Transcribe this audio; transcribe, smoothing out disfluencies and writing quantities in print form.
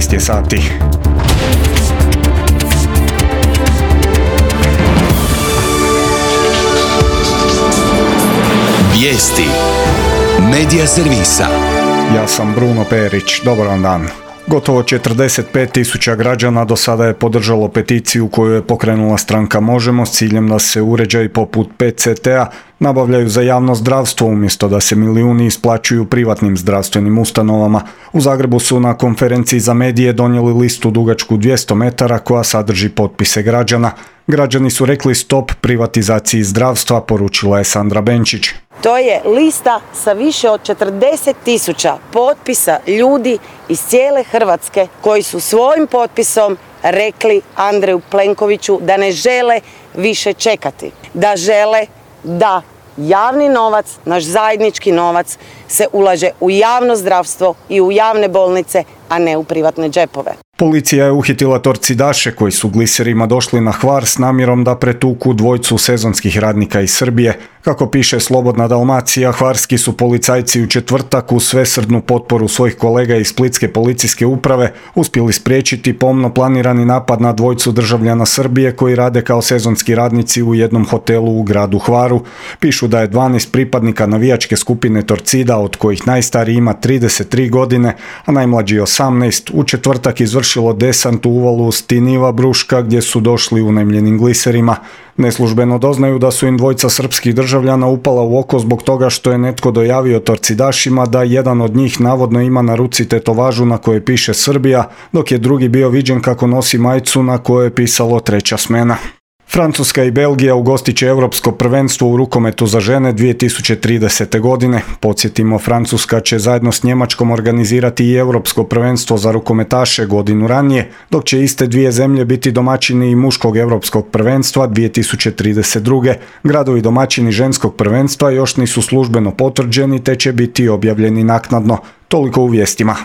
13 je sati. Vijesti Medija servisa. Ja sam Bruno Perić, dobar vam dan. Gotovo 45.000 građana do sada je podržalo peticiju koju je pokrenula stranka Možemo s ciljem da se uređaji poput PET-CT-a nabavljaju za javno zdravstvo umjesto da se milijuni isplaćuju privatnim zdravstvenim ustanovama. U Zagrebu su na konferenciji za medije donijeli listu dugačku 200 metara koja sadrži potpise građana. Građani su rekli stop privatizaciji zdravstva, poručila je Sandra Benčić. To je lista sa više od 40.000 potpisa ljudi iz cijele Hrvatske koji su svojim potpisom rekli Andreju Plenkoviću da ne žele više čekati, da žele da javni novac, naš zajednički novac, se ulaže u javno zdravstvo i u javne bolnice, a ne u privatne džepove. Policija je uhitila torcidaše koji su gliserima došli na Hvar s namjerom da pretuku dvojcu sezonskih radnika iz Srbije. Kako piše Slobodna Dalmacija, hvarski su policajci u četvrtak uz svesrdnu potporu svojih kolega iz Splitske policijske uprave uspjeli spriječiti pomno planirani napad na dvojcu državljana Srbije koji rade kao sezonski radnici u jednom hotelu u gradu Hvaru. Pišu da je 12 pripadnika navijačke skupine Torcida, od kojih najstariji ima 33 godine, a najmlađi 18, u četvrtak izvršilo desant u uvalu Stiniva Bruška gdje su došli unajmljenim gliserima. Neslužbeno doznaju da su im dvojca srpskih državljana upala u oko zbog toga što je netko dojavio torcidašima da jedan od njih navodno ima na ruci tetovažu na kojoj piše Srbija, dok je drugi bio viđen kako nosi majicu na kojoj je pisalo treća smena. Francuska i Belgija ugostit će Europsko prvenstvo u rukometu za žene 2030. godine. Podsjetimo, Francuska će zajedno s Njemačkom organizirati i Europsko prvenstvo za rukometaše godinu ranije, dok će iste dvije zemlje biti domaćini i muškog Europskog prvenstva 2032. Gradovi domaćini ženskog prvenstva još nisu službeno potvrđeni te će biti objavljeni naknadno. Toliko u vijestima.